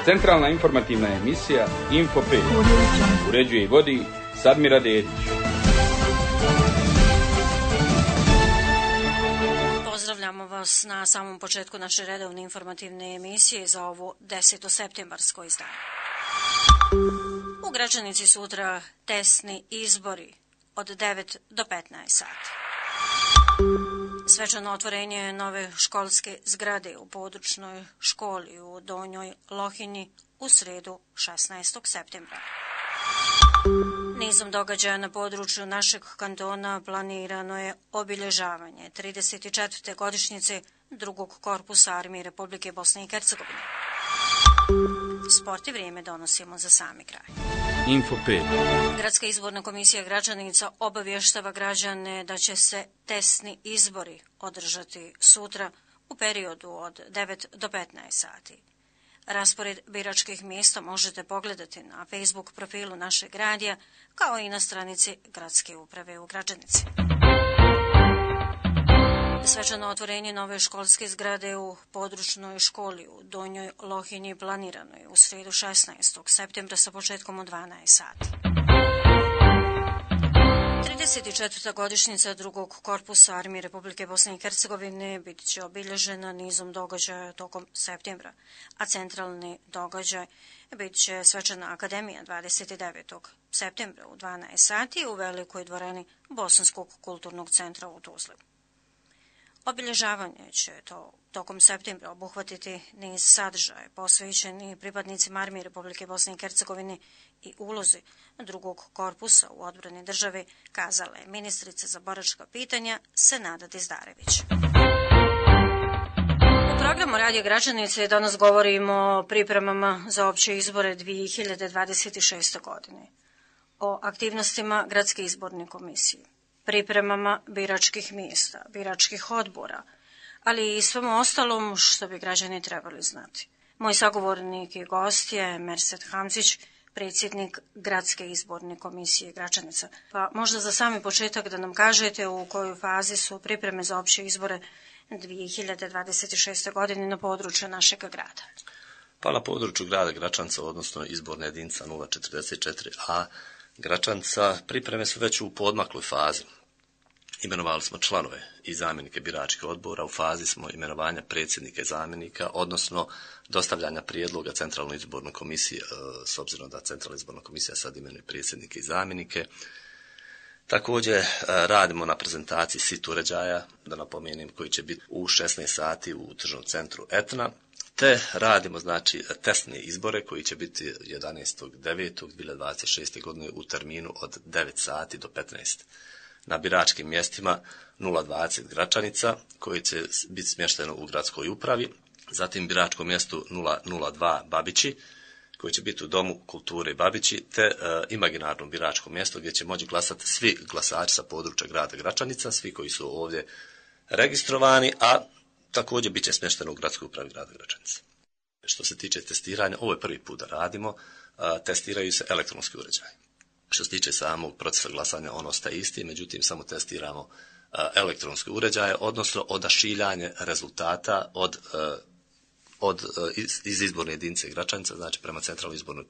Centralna informativna emisija Info 5. Uređuje i vodi Sadmira Dedić. Pozdravljamo vas na samom početku naše redovne informativne emisije za ovo 10. septembarsko izdanje. U Gračanici sutra testni izbori od 9 do 15 sati. Svečano otvorenje nove školske zgrade u područnoj školi u Donjoj Lohinji u sredu 16. septembra. Nizom događaja na području našeg kantona planirano je obilježavanje 34. godišnjice drugog korpusa Armije Republike Bosne i Hercegovine. Sport i vrijeme donosimo za sami kraj. Info 5. Gradska izborna komisija Gračanica obavještava građane da će se testni izbori održati sutra u periodu od 9 do 15 sati. Raspored biračkih mjesta možete pogledati na Facebook profilu našeg radija, kao i na stranici Gradske uprave u Gračanici. Svečano otvorenje nove školske zgrade u područnoj školi u Donjoj Lohinji planirano je u sredu 16. septembra sa početkom u 12 sati. 34. godišnjica drugog korpusa Armije Republike Bosne i Hercegovine bit će obilježena nizom događaja tokom septembra, a centralni događaj bit će svečana akademija 29. septembra u 12 sati u velikoj dvorani Bosanskog kulturnog centra u Tuzli. Obilježavanje će tokom septembra obuhvatiti niz sadržaja posvećeni pripadnicima Armije Republike Bosne i Hercegovine i ulozi drugog korpusa u odbrani države, kazala je ministrica za boračka pitanja Senada Dizdarević. U programu Radio Gračanice danas govorimo o pripremama za opće izbore 2026. godine, o aktivnostima Gradske izborne komisije, pripremama biračkih mjesta, biračkih odbora, ali i svemu ostalom što bi građani trebali znati. Moj sagovornik i gost je Mersed Hamzić, predsjednik Gradske izborne komisije Gračanica. Pa možda za sami početak da nam kažete u kojoj fazi su pripreme za opće izbore 2026. godine na području našeg grada. Pa na području grada Gračanca, odnosno izborna jedinica 044a Gračanca, pripreme su već u poodmakloj fazi. Imenovali smo članove i zamjenike biračkih odbora, u fazi smo imenovanja predsjednika i zamjenika, odnosno dostavljanja prijedloga Centralnoj izbornoj komisiji, s obzirom da Centralna izborna komisija sad imenuje predsjednike i zamjenike. Također radimo na prezentaciji sit uređaja, da napomenem, koji će biti u 16 sati u tržnom centru Etna, te radimo testne izbore koji će biti 11.9.2026. godine u terminu od 9 sati do 15. Na biračkim mjestima 020 Gračanica, koji će biti smješteno u gradskoj upravi, zatim biračkom mjestu 002 Babići, koji će biti u Domu kulture Babići, te imaginarnom biračkom mjestu gdje će moći glasati svi glasači sa područja grada Gračanica, svi koji su ovdje registrovani, a također bit će smješteno u gradskoj upravi grada Gračanica. Što se tiče testiranja, ovo je prvi put da radimo, testiraju se elektronski uređaji. Što se tiče samog procesa glasanja, on ostaje isti, međutim samo testiramo elektronske uređaje, odnosno odašiljanje rezultata iz izborne jedinice Gračanica, znači prema Centralnoj izbornoj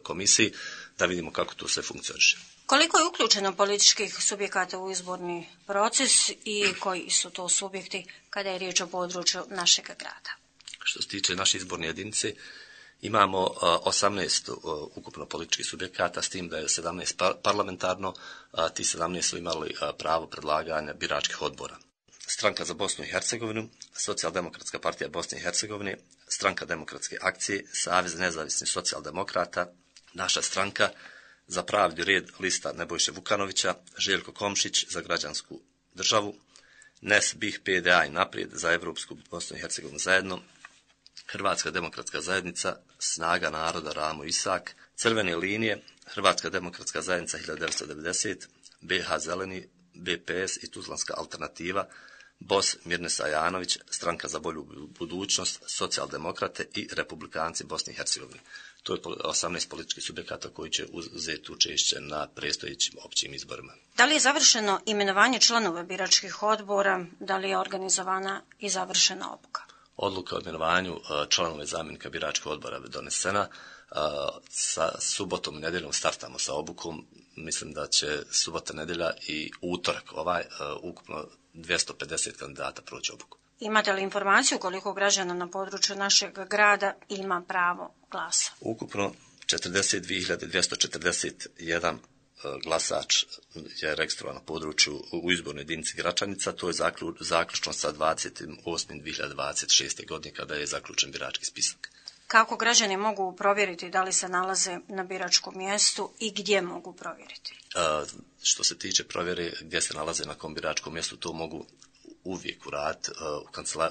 komisiji, da vidimo kako to sve funkcioniše. Koliko je uključeno političkih subjekata u izborni proces i koji su to subjekti kada je riječ o području našeg grada? Što se tiče naše izborne jedinice, imamo 18 ukupno političkih subjekata, s tim da je 17 parlamentarno, ti 17 su imali pravo predlaganja biračkih odbora. Stranka za Bosnu i Hercegovinu, Socijaldemokratska partija Bosne i Hercegovine, Stranka demokratske akcije, Savez nezavisnih socijaldemokrata, naša stranka za pravdi red lista Nebojše Vukanovića, Željko Komšić za građansku državu, NES BiH PDA i Naprijed za Evropsku Bosnu i Hercegovinu zajedno, Hrvatska demokratska zajednica, Snaga naroda Ramo Isak, Crvene linije, Hrvatska demokratska zajednica 1990, BH Zeleni, BPS i Tuzlanska alternativa, BOS Mirnes Ajanović, Stranka za bolju budućnost, Socijaldemokrate i Republikanci Bosne i Hercegovine. To je 18 političkih subjekata koji će uzeti učešće na predstojećim općim izborima. Da li je završeno imenovanje članova biračkih odbora, da li je organizovana i završena obuka? Odluka o imenovanju članova i zamjenika biračkog odbora je donesena. Sa subotom i nedjeljom startamo sa obukom. Mislim da će subota, nedjelja i utorak ukupno 250 kandidata proći obuku. Imate li informaciju koliko građana na području našeg grada ima pravo glasa? Ukupno 42.241 glasač je registrovan na području u izbornoj jedinici Gračanica. To je zaključno sa 28.2026. godine kada je zaključen birački spisak. Kako građani mogu provjeriti da li se nalaze na biračkom mjestu i gdje mogu provjeriti? Što se tiče provjere gdje se nalaze na kom biračkom mjestu, to mogu uvijek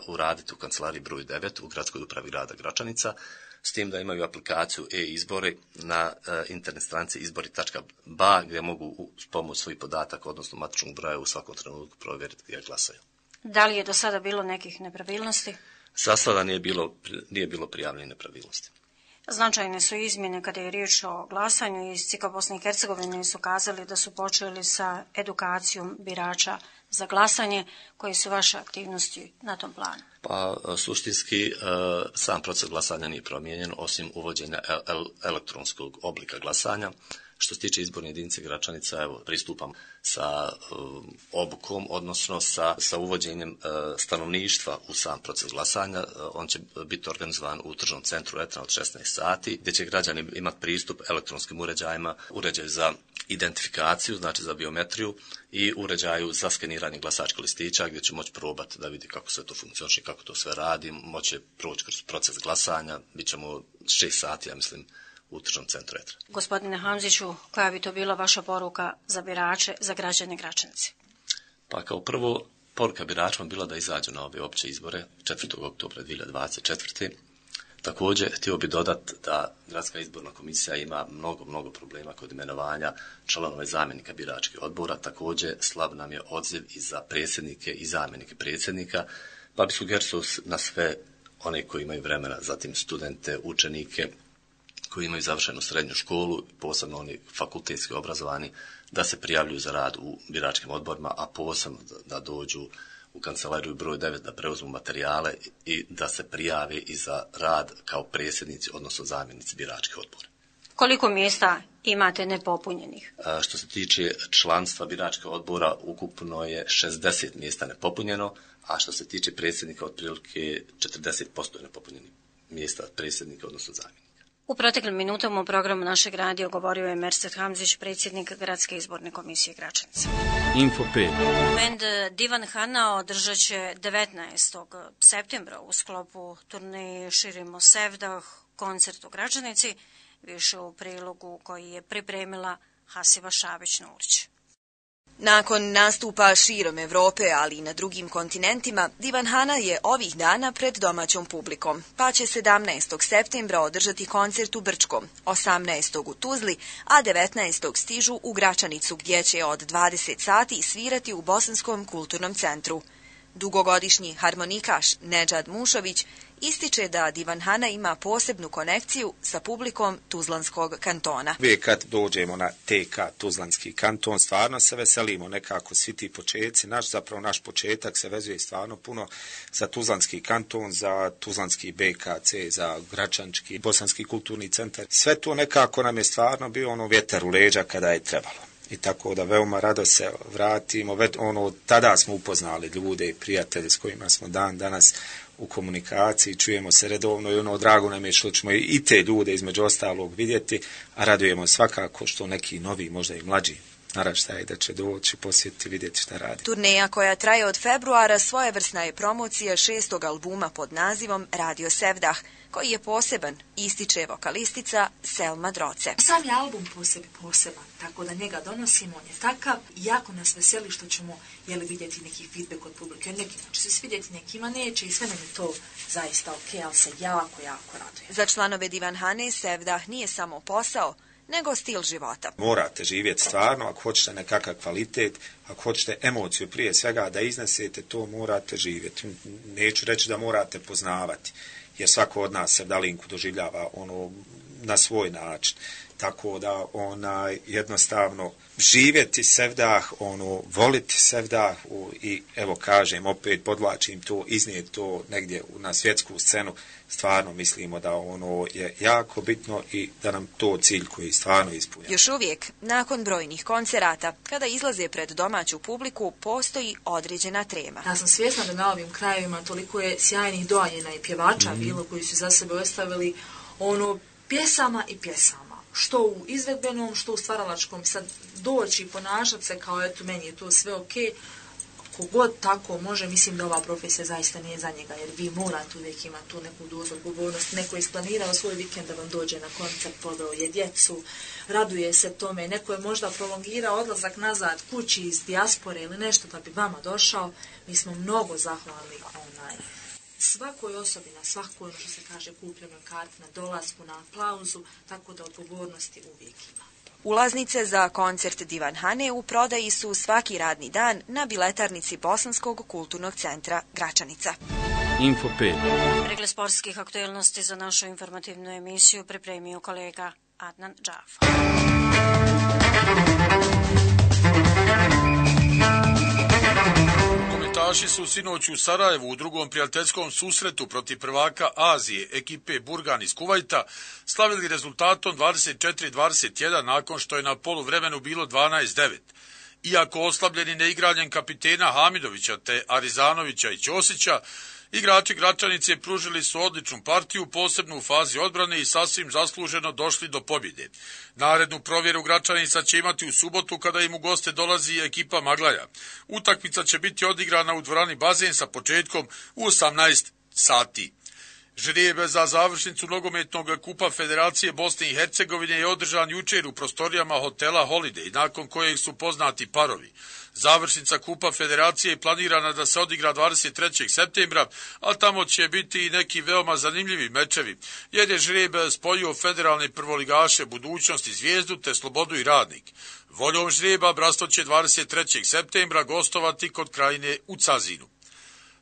uraditi u kancelariji broj 9 u gradskoj upravi grada Gračanica, s tim da imaju aplikaciju e-izbori na internet stranici izbori.ba gdje mogu s pomoć svojih podataka, odnosno matičnog broja, u svakom trenutku provjeriti gdje glasaju. Da li je do sada bilo nekih nepravilnosti? Za sada nije bilo prijavljene nepravilnosti. Značajne su izmjene kada je riječ o glasanju. Iz CIK Bosne i Hercegovine su kazali da su počeli sa edukacijom birača za glasanje. Koje su vaše aktivnosti na tom planu? Pa suštinski sam proces glasanja nije promijenjen osim uvođenja elektronskog oblika glasanja. Što se tiče izborne jedinice Gračanica, evo, pristupam sa obukom, odnosno sa uvođenjem stanovništva u sam proces glasanja. On će biti organizovan u tržnom centru Etna od 16 sati, gdje će građani imati pristup elektronskim uređajima, uređaju za identifikaciju, znači za biometriju, i uređaju za skeniranje glasačkih listića, gdje će moći probati da vidi kako sve to funkcioniše, kako to sve radi, moće proći kroz proces glasanja. Bićemo 6 sati, ja mislim, u tržnom centru Etra. Gospodine Hamziću, koja bi to bila vaša poruka za birače, za građane Gračanice? Pa kao prvo, poruka biračima bila da izađu na ove opće izbore 4. oktobra 2024. Također, htio bi dodati da Gradska izborna komisija ima mnogo problema kod imenovanja članova i zamjenika biračkih odbora. Također, slab nam je odziv i za predsjednike i zamjenike predsjednika, pa bi sugerisao na sve one koji imaju vremena, zatim studente, učenike, koji imaju završenu srednju školu, posebno oni fakultetski obrazovani, da se prijavljuju za rad u biračkim odborima, a posebno da dođu u kancelariju broj 9 da preuzmu materijale i da se prijave i za rad kao predsjednici, odnosno zamjenici biračkih odbora. Koliko mjesta imate nepopunjenih? Što se tiče članstva biračkih odbora, ukupno je 60 mjesta nepopunjeno, a što se tiče predsjednika, otprilike 40% je nepopunjenih mjesta predsjednika, odnosno zamjenika. U proteklim minutama u programu našeg radija govorio je Mersed Hamzić, predsjednik Gradske izborne komisije Gračanice. Info 5. Bend Divan Hana održat će 19. septembra u sklopu turneje Širimo Sevdah koncert u Gračanici, više u prilogu koji je pripremila Hasiba Šabić-Nurić. Nakon nastupa širom Europe, ali i na drugim kontinentima, Divan Hana je ovih dana pred domaćom publikom, pa će 17. septembra održati koncert u Brčkom, 18. u Tuzli, a 19. stižu u Gračanicu, gdje će od 20 sati svirati u Bosanskom kulturnom centru. Dugogodišnji harmonikaš Nedžad Mušović ističe da Divan Hana ima posebnu konekciju sa publikom Tuzlanskog kantona. Uvijek kad dođemo na TK Tuzlanski kanton, stvarno se veselimo nekako svi ti početci. Naš početak se vezuje stvarno puno za Tuzlanski kanton, za Tuzlanski BKC, za Gračančki, Bosanski kulturni centar. Sve to nekako nam je stvarno bio vjetar u leđa kada je trebalo. I tako da veoma rado se vratimo. Tada smo upoznali ljude i prijatelje s kojima smo dan danas u komunikaciji, čujemo se redovno i drago nam je što ćemo i te ljude između ostalog vidjeti, a radujemo svakako što neki novi, možda i mlađi naraštaj da će doći, posjetiti, vidjeti šta radi. Turneja koja traje od februara svojevrsna je promocija 6. albuma pod nazivom Radio Sevdah, koji je poseban, ističe vokalistica Selma Droce. Sam je album poseban, tako da njega donosimo, on je takav i jako nas veseli što ćemo vidjeti neki feedback od publike. Nekima će se svidjeti, nekima neće i sve nam je to zaista ok, ali se jako raduje. Za članove Divan Hane Sevdah nije samo posao, nego stil života. Morate živjeti stvarno, ako hoćete nekakav kvalitet, ako hoćete emociju prije svega da iznesete, to morate živjeti. Neću reći da morate poznavati, jer svako od nas sevdalinku doživljava na svoj način. Tako da jednostavno živjeti Sevdah, voliti Sevdah i evo kažem, opet podvlačim to, iznijeti to negdje na svjetsku scenu, stvarno mislimo da je jako bitno i da nam to cilj koji stvarno ispunja. Još uvijek, nakon brojnih koncerata, kada izlaze pred domaću publiku, postoji određena trema. Ja sam svjesna da na ovim krajevima toliko je sjajnih doaljena i pjevača bilo koji su za sebe ostavili pjesama i pjesama. Što u izvedbenom, što u stvaralačkom. Sad doći i ponašati se kao eto meni je to sve okej. Kogod tako može, mislim da ova profesija zaista nije za njega, jer vi morate uvijek imati tu neku dozu odgovornosti. Neko je isplanirao svoj vikend da vam dođe na koncert, poveo je djecu, raduje se tome, neko je možda prolongirao odlazak nazad kući iz dijaspore ili nešto da bi vama došao. Mi smo mnogo zahvalni svakoj osobi, na svakoj, što se kaže, kupljenoj karti, na dolasku, na aplauzu, tako da odgovornosti uvijek ima. Ulaznice za koncert Divanhane u prodaji su svaki radni dan na biletarnici Bosanskog kulturnog centra Gračanica. Info 5. Pregled sportskih aktualnosti za našu informativnu emisiju pripremio kolega Adnan Džaf. Nogometaši su sinoć u Sarajevu u drugom prijateljskom susretu protiv prvaka Azije, ekipe Burgan iz Kuvajta, slavili rezultatom 24-21 nakon što je na poluvremenu bilo 12-9. Iako oslabljeni neigranjem kapitena Hamidovića te Arizanovića i Ćosića, igrači Gračanice pružili su odličnu partiju, posebno u fazi odbrane i sasvim zasluženo došli do pobjede. Narednu provjeru Gračanica će imati u subotu kada im u goste dolazi ekipa Maglaja. Utakmica će biti odigrana u dvorani Bazen sa početkom u 18 sati. Žrijeb za završnicu nogometnog kupa Federacije Bosne i Hercegovine je održan jučer u prostorijama hotela Holiday, nakon kojeg su poznati parovi. Završnica kupa Federacije je planirana da se odigra 23. septembra, a tamo će biti i neki veoma zanimljivi mečevi, jer je žrijeb spojio federalne prvoligaše Budućnost i Zvijezdu te Slobodu i Radnik. Voljom žrijeba Bratstvo će 23. septembra gostovati kod Krajine u Cazinu.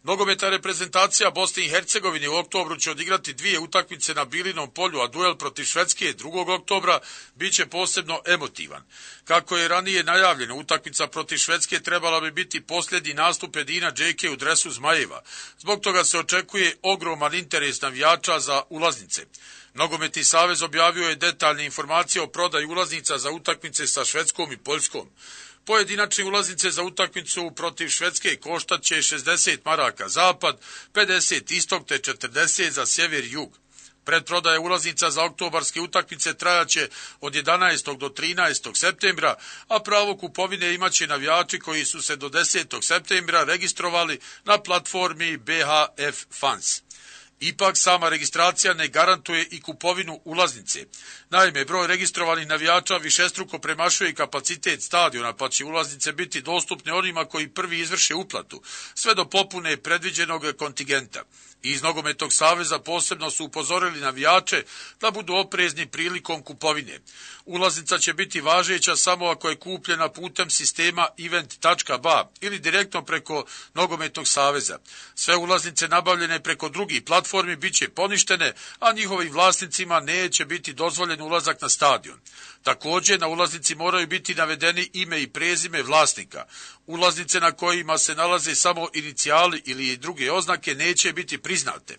Nogometna reprezentacija Bosne i Hercegovine u oktobru će odigrati 2 utakmice na Bilinom polju, a duel protiv Švedske 2. oktobra bit će posebno emotivan. Kako je ranije najavljeno, utakmica protiv Švedske trebala bi biti posljednji nastup Edina Džeke u dresu Zmajeva. Zbog toga se očekuje ogroman interes navijača za ulaznice. Nogometni savez objavio je detaljne informacije o prodaji ulaznica za utakmice sa Švedskom i Poljskom. Pojedinačne ulaznice za utakmicu protiv Švedske koštat će 60 maraka zapad, 50 istok te 40 za sjever i jug. Predprodaja ulaznica za oktobarske utakmice trajaće od 11. do 13. septembra, a pravo kupovine imaće navijači koji su se do 10. septembra registrovali na platformi BHF Fans. Ipak sama registracija ne garantuje i kupovinu ulaznice. Naime, broj registrovanih navijača višestruko premašuje kapacitet stadiona, pa će ulaznice biti dostupne onima koji prvi izvrše uplatu, sve do popune predviđenog kontingenta. Iz Nogometnog saveza posebno su upozorili navijače da budu oprezni prilikom kupovine. Ulaznica će biti važeća samo ako je kupljena putem sistema event.ba ili direktno preko Nogometnog saveza. Sve ulaznice nabavljene preko drugih platformi bit će poništene, a njihovim vlasnicima neće biti dozvoljen ulazak na stadion. Također na ulaznici moraju biti navedeni ime i prezime vlasnika. Ulaznice na kojima se nalaze samo inicijali ili druge oznake neće biti priznate.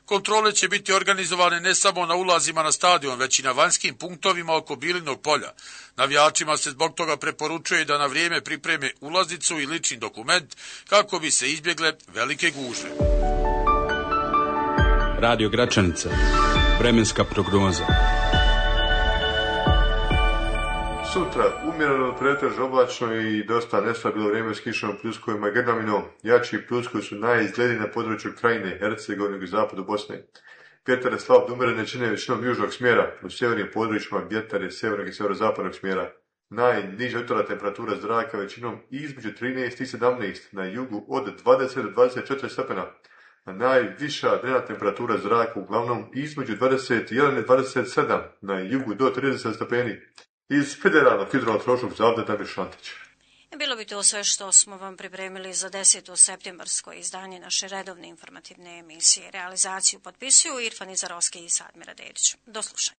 Kontrole će biti organizovane ne samo na ulazima na stadion, već i na vanjskim punktovima oko Bilinog polja. Navijačima se zbog toga preporučuje da na vrijeme pripreme ulaznicu i lični dokument kako bi se izbjegle velike gužve. Radio Gračanica. Vremenska prognoza. Sutra umjereno pretežno oblačno i dosta nestabilno vrijeme s kišom, pljuskovima i grmljavinom. Jači pljuskovi su najizgledniji na području Krajine, Hercegovine i zapadu Bosne. Vjetar je slab do umjerene čine većinom južnog smjera, u sjevernim područjima vjetar je sjevernog i sjeverozapadnog smjera. Najniža jutarnja temperatura zraka većinom između 13 i 17, na jugu od 20 do 24 stepena. A najviša dnevna temperatura zraka uglavnom između 21 i 27, na jugu do 30 stepeni. Iz Federalnog hidrometeorološkog zavoda Damir Šantić. Bilo bi to sve što smo vam pripremili za 10. septembarsko izdanje naše redovne informativne emisije. Realizaciju potpisuju Irfan Izarovski i Sadmira Dedić. Do slušanja.